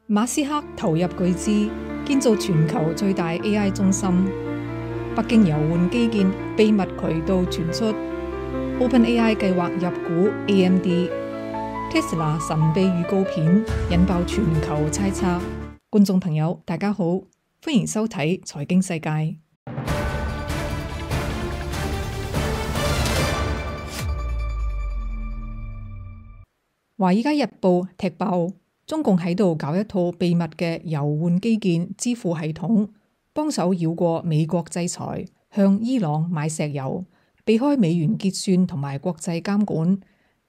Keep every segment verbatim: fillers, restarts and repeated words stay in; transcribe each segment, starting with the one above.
馬斯克投入巨資建造全球最大 A I 中心，北京油換基建秘密渠道傳出， OpenAI 計劃入股 A M D，Tesla 神秘預告片引爆全球猜測。觀眾朋友大家好，歡迎收睇財經世界。華爾街日報踢爆，中共喺度搞一套秘密嘅油換基建支付系統，幫手繞過美國制裁，向伊朗買石油，避開美元結算同埋國際監管。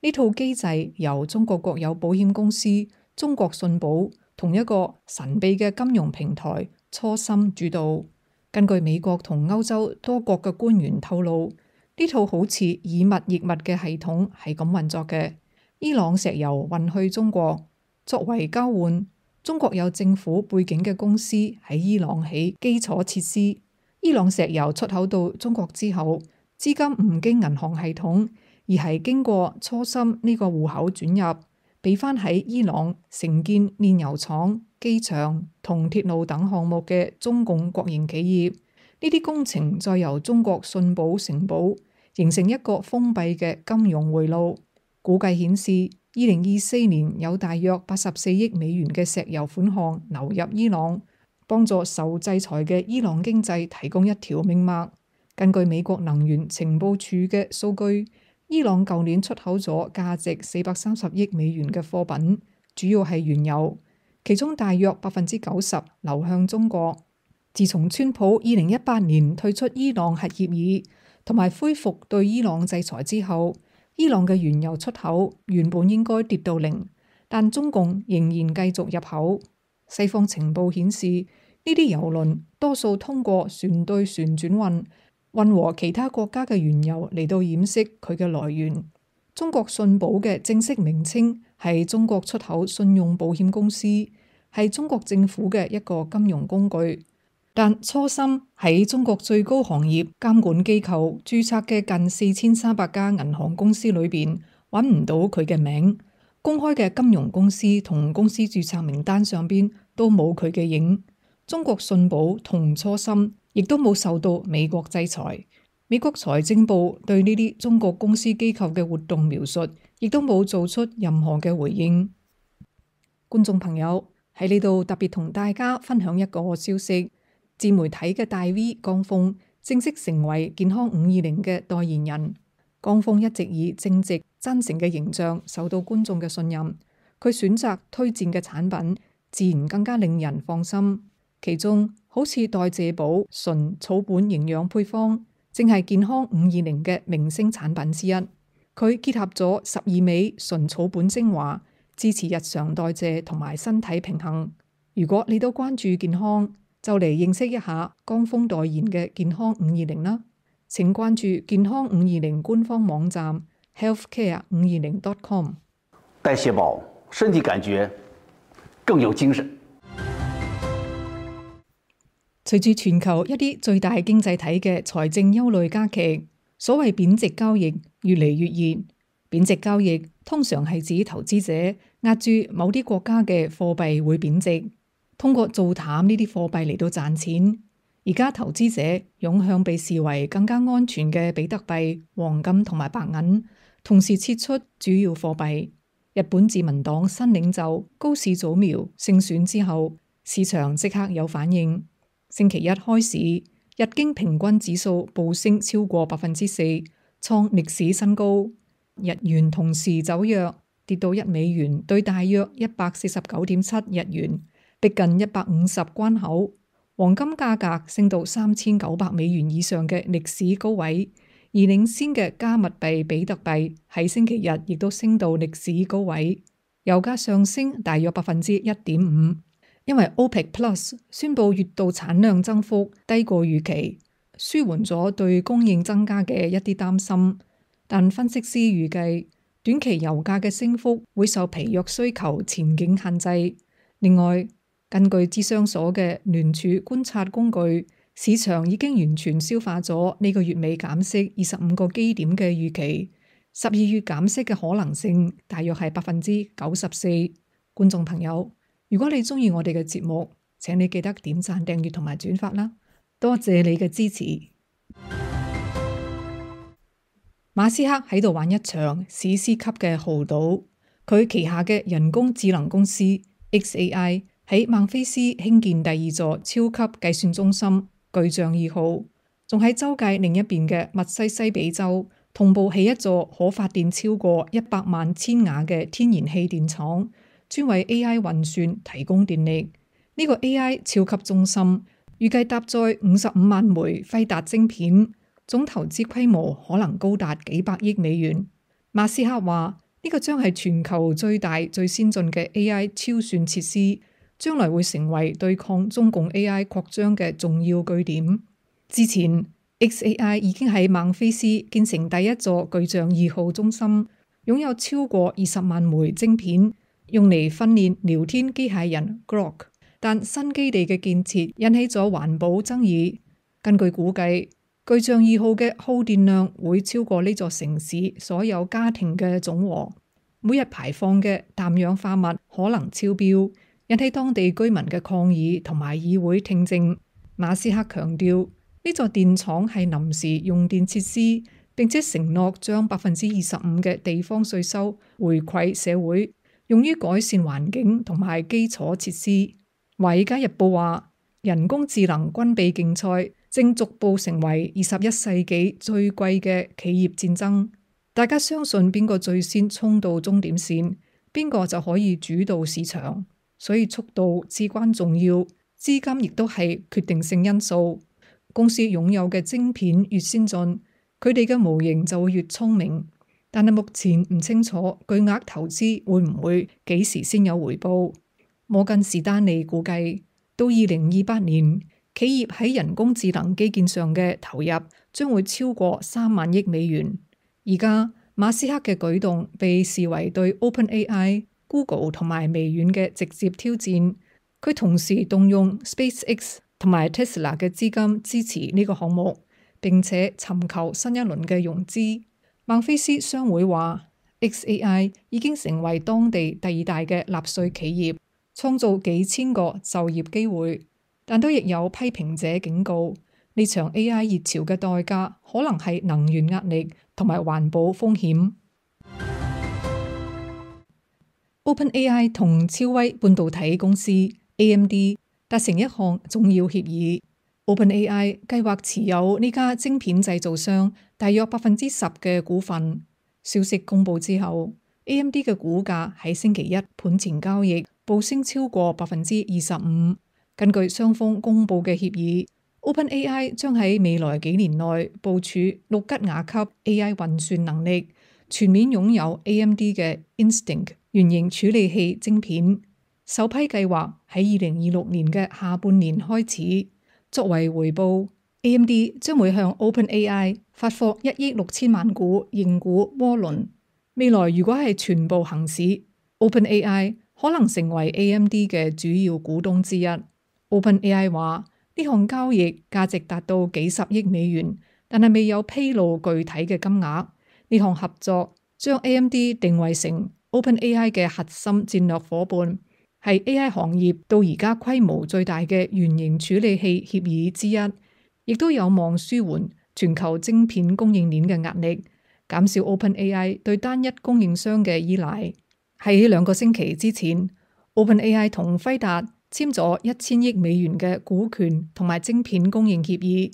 呢套機制由中國國有保險公司中國信保同一個神秘嘅金融平台初心主導。根據美國同歐洲多國嘅官員透露，呢套好似以物易物嘅系統係咁運作嘅。伊朗石油運去中國，作為交換，中國有政府背景嘅公司喺伊朗起基礎設施。伊朗石油出口到中國之後，資金唔經銀行系統，而係經過初心呢個戶口轉入，俾翻喺伊朗承建煉油廠、機場同鐵路等項目嘅中共國營企業。呢啲工程再由中國信保承保，形成一個封閉嘅金融回路。估計顯示，二零二四年有大約八十四億美元嘅石油款項流入伊朗，幫助受制裁嘅伊朗經濟提供一條命脈。根據美國能源情報處嘅數據，伊朗舊年出口咗價值四百三十億美元嘅貨品，主要係原油，其中大約百分之九十流向中國。自從川普二零一八年退出伊朗核協議同埋恢復對伊朗制裁之後，伊朗嘅原油出口原本應該跌到零，但中共仍然繼續入口。西方情報顯示，呢啲油輪多數通過船對船轉運，運和其他國家嘅原油嚟到掩飾佢嘅來源。中國信保嘅正式名稱係中國出口信用保險公司，係中國政府嘅一個金融工具。但初心喺中國最高行業監管機構註冊嘅近四千三百家銀行公司裏邊揾唔到佢嘅名，公開嘅金融公司同公司註冊名單上邊都冇佢嘅影。中國信保同初心亦都冇受到美國制裁。美國財政部對呢啲中國公司機構嘅活動描述，亦都冇做出任何嘅回應。觀眾朋友喺呢度特別同大家分享一個消息。自媒體嘅大 V 江峰正式成為健康五二零嘅代言人。江峰一直以正直真誠嘅形象受到觀眾嘅信任，佢選擇推薦嘅產品自然更加令人放心。其中好似代謝寶純草本營養配方，正係健康五二零嘅明星產品之一。佢結合咗十二味純草本精華，支持日常代謝同埋身體平衡。如果你都關注健康，就嚟認識一下江峰代言嘅健康五二零啦！請關注健康五二零官方網站 healthcare 五二零 dot com。代謝寶，身體感覺更有精神。隨住全球一啲最大經濟體嘅財政憂慮加劇，所謂貶值交易越嚟越熱。貶值交易通常係指投資者壓住某啲國家嘅貨幣會貶值，通過做淡呢啲貨幣嚟到賺錢。而家投資者湧向被視為更加安全嘅比特幣、黃金同埋白銀，同時撤出主要貨幣。日本自民黨新領袖高市早苗勝選之後，市場即刻有反應。星期一開市，日經平均指數暴升超過百分之四，創歷史新高。日元同時走弱，跌到一美元兌大約一百四十九點七日元。逼近一百五十關口，黃金價格升到三千九百美元以上嘅歷史高位，而領先嘅加密幣比特幣喺星期日亦都升到歷史高位。油價上升大約百分之一點五，因為 OPEC Plus 宣布月度產量增幅低過預期，舒緩咗對供應增加嘅一啲擔心。但分析師預計短期油價嘅升幅會受疲弱需求前景限制。另外，根據諮商所嘅聯儲觀察工具，市場已經完全消化咗呢個月尾減息二十五個基點嘅預期，十二月減息嘅可能性大約係百分之九十四。觀眾朋友，如果你鍾意我哋嘅節目，請你記得點讚、訂閱同埋轉發啦，多謝你嘅支持。馬斯克喺度玩一場史詩級嘅豪賭，佢旗下嘅人工智能公司 X A I 喺孟菲斯興建第二座超級計算中心巨象二號，仲喺洲際另一邊嘅密西西比州同步起一座可發電超過一百萬千瓦嘅天然氣電廠，專為 A I 運算提供電力。呢個 A I 超級中心預計搭載五十五萬枚輝達晶片，總投資規模可能高達幾百億美元。馬斯克話呢個將係全球最大最先進嘅 A I 超算設施，將來會成為對抗中共 A I 擴張嘅重要據點。之前 X A I 已經喺孟菲斯建成第一座巨象二號中心，擁有超過二十萬枚晶片，用嚟訓練聊天機械人 Grok。但新基地嘅建設引起咗環保爭議。根據估計，巨象二號嘅耗電量會超過呢座城市所有家庭嘅總和，每日排放嘅氮氧化物可能超標，引起當地居民嘅抗議同埋議會聽證。馬斯克強調，呢座電廠係臨時用電設施，並且承諾將百分之二十五嘅地方稅收回饋社會，用於改善環境同埋基礎設施。華爾街日報話，人工智能軍備競賽正逐步成為二十一世紀最貴嘅企業戰爭。大家相信邊個最先衝到終點線，邊個就可以主導市場。所以速度至關重要，資金亦都係決定性因素。公司擁有嘅晶片越先進，佢哋嘅模型就會越聰明。但係目前唔清楚巨額投資會唔會幾時先有回報。摩根士丹利估計，到二零二八年，企業喺人工智能基建上嘅投入將會超過三萬億美元。而家馬斯克嘅舉動被視為對 OpenAI、Google 同埋微軟嘅直接挑戰。佢同時動用 SpaceX 同埋 Tesla 嘅資金支持呢個項目，並且尋求新一輪嘅融資。孟菲斯商會話 ，X A I 已經成為當地第二大嘅納稅企業，創造幾千個就業機會。但都亦有批評者警告，呢場 A I 熱潮嘅代價可能係能源壓力同埋環保風險。OpenAI 同超威半導體公司 A M D 達成一項重要協議。OpenAI 計劃持有呢家晶片製造商大約百分之十嘅股份。消息公佈之後， A M D 嘅股價喺星期一盤前交易暴升超過百分之二十五。根據雙方公佈嘅協議， OpenAI 將喺未來幾年內部署六吉瓦級 A I 運算能力，全面擁有 A M D 嘅 Instinct 原型處理器晶片。首批計劃喺二零二六年嘅下半年開始。作為回報， A M D 將會向 OpenAI 發貨一億六千萬股認股渦輪。未來如果係全部行使， OpenAI 可能成為 A M D 嘅主要股東之一。OpenAI 話呢項交易價值達到幾十億美元，但係未有披露具體嘅金額。呢項合作將 A M D 定位成 OpenAI 嘅核心戰略夥伴，係 A I 行業到而家規模最大嘅原型處理器協議之一，亦都有望舒緩全球晶片供應鏈嘅壓力，減少 OpenAI 對單一供應商嘅依賴。喺兩個星期之前， OpenAI 同輝達簽咗一千億美元嘅股權同埋晶片供應協議，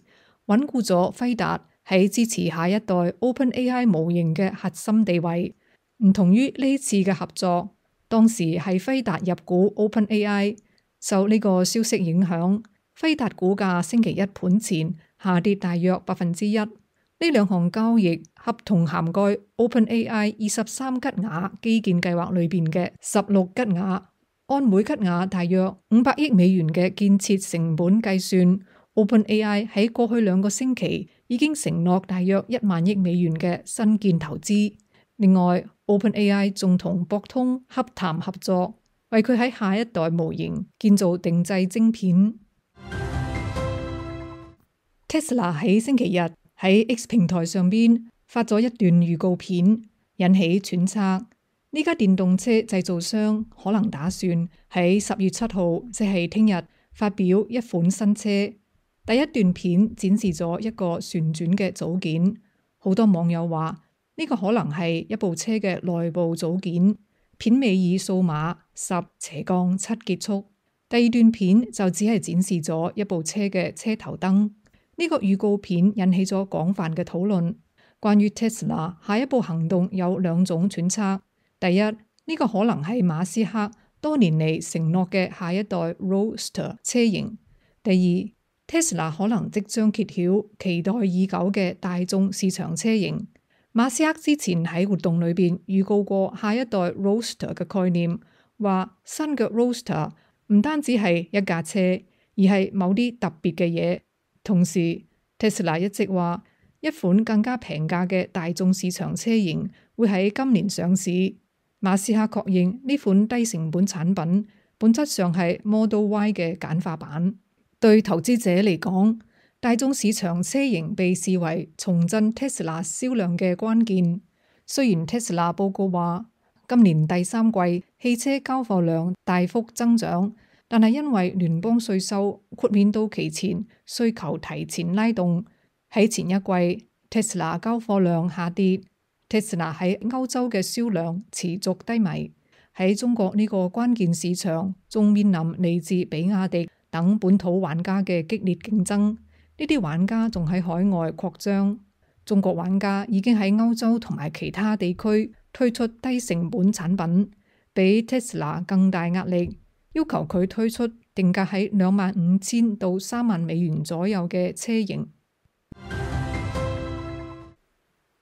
穩固咗輝達喺支持下一代 OpenAI 模型嘅核心地位。唔同於呢次嘅合作，當時係輝達入股 OpenAI， 受呢個消息影響，輝達股價星期一盤前下跌大約百分之一。呢兩項交易合同涵蓋 OpenAI 二十三吉瓦基建計劃裏邊嘅十六吉瓦。按每吉瓦大約五百億美元嘅建設成本計算， OpenAI 喺過去兩個星期已經承諾大約一萬億美元嘅新建投資。另外 OpenAI 仲同博通洽談合作，為佢喺下一代模型建造定製晶片。Tesla 喺星期日喺 X 平台上邊發咗一段預告片，引起揣測。呢家電動車製造商可能打算喺十月七號，即係聽日發表一款新車。第一段片展示咗一個旋轉嘅組件，好多網友話呢個可能係一部車嘅內部組件。片尾以數碼十斜槓七結束。第二段片就只係展示咗一部車嘅車頭燈。呢個預告片引起咗廣泛嘅討論。關於 Tesla 下一步行動有兩種揣測。第一，呢個可能係馬斯克多年嚟承諾嘅下一代 Roadster 車型。第二， Tesla 可能即將揭曉期待已久嘅大眾市場車型。馬斯克之前喺活動裏邊預告過下一代 Roadster 嘅概念，話新嘅 Roadster 唔單止係一架車，而係某啲特別嘅嘢。同時 Tesla 一直話一款更加平價嘅大眾市場車型會喺今年上市。馬斯克確認呢款低成本產品本質上係 Model Y 嘅簡化版。對投資者嚟講，大眾市場車型被視為重振 Tesla 銷量嘅關鍵。雖然 Tesla 報告話今年第三季汽車交貨量大幅增長，但係因為聯邦稅收豁免到期前需求提前拉動，喺前一季 Tesla 交貨量下跌。Tesla 喺歐洲嘅銷量持續低迷，喺中國呢個關鍵市場仲面臨嚟自比亞迪等本土玩家嘅激烈競爭。呢啲玩家仲喺海外擴張，中國玩家已經喺歐洲同埋其他地區推出低成本產品，比 Tesla 更大壓力，要求佢推出定價喺兩萬五千到三萬美元左右嘅車型。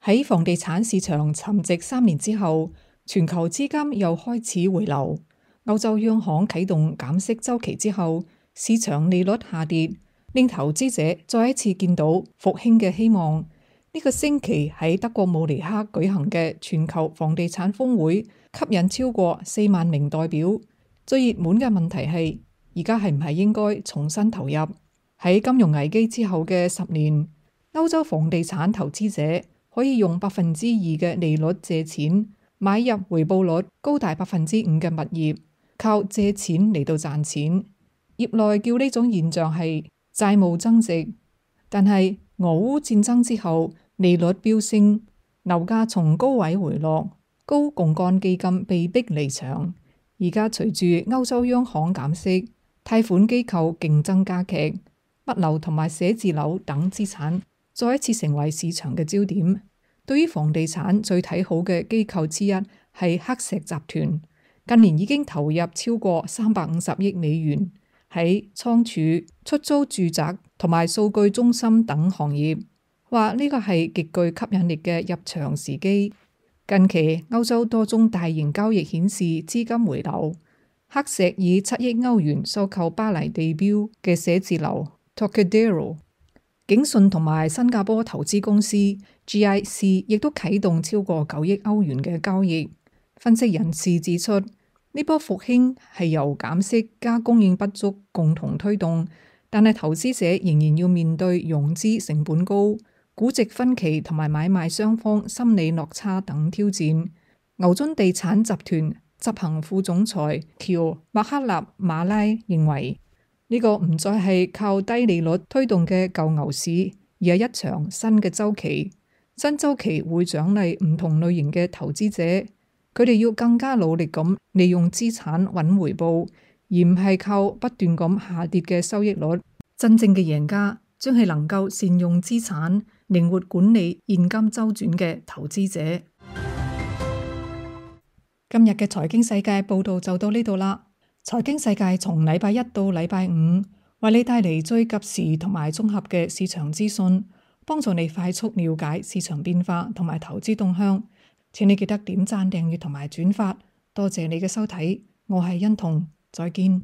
喺房地產市場沉寂三年之後，全球資金又開始回流。歐洲央行啟動減息周期之後，市場利率下跌，令投資者再一次見到復興嘅希望。呢個星期喺德國慕尼黑舉行嘅全球房地產峰會，吸引超過四萬名代表。最熱門嘅問題係，而家係唔係應該重新投入？喺金融危機之後嘅十年，歐洲房地產投資者可以用百分之二嘅利率借錢，買入回報率高達百分之五嘅物業，靠借錢嚟到賺錢。業內叫呢種現象係債務增值。但係俄烏戰爭之後，利率飆升，樓價從高位回落，高槓桿基金被逼離場。而家隨住歐洲央行減息，貸款機構競爭加劇，物流同埋寫字樓等資產再一次成為市場嘅焦點。對於房地產最睇好嘅機構之一係黑石集團，近年已經投入超過三百五十億美元喺倉儲、出租住宅同埋數據中心等行業，話呢個係極具吸引力嘅入場時機。近期歐洲多宗大型交易顯示資金回流，黑石以七億歐元收購巴黎地標嘅寫字樓 Trocadero。景順同埋新加坡投資公司 G I C 亦都啟動超過九億歐元嘅交易。分析人士指出，呢波復興係由減息加供應不足共同推動，但係投資者仍然要面對融資成本高、估值分歧同埋買賣雙方心理落差等挑戰。牛津地產集團執行副總裁喬麥克納馬拉認為，呢個唔再係靠低利率推動嘅舊牛市，而係一場新嘅週期。新週期會獎勵唔同類型嘅投資者，佢哋要更加努力咁利用資產揾回報，而唔係靠不斷咁下跌嘅收益率。真正嘅贏家將係能夠善用資產、靈活管理現金週轉嘅投資者。今日嘅財經世界報道就到呢度啦。財經世界從禮拜一到禮拜五，為你帶嚟最及時同埋綜合嘅市場資訊，幫助你快速了解市場變化同埋投資動向。請你記得點讚、訂閱同埋轉發。多謝你嘅收睇，我係欣彤，再見。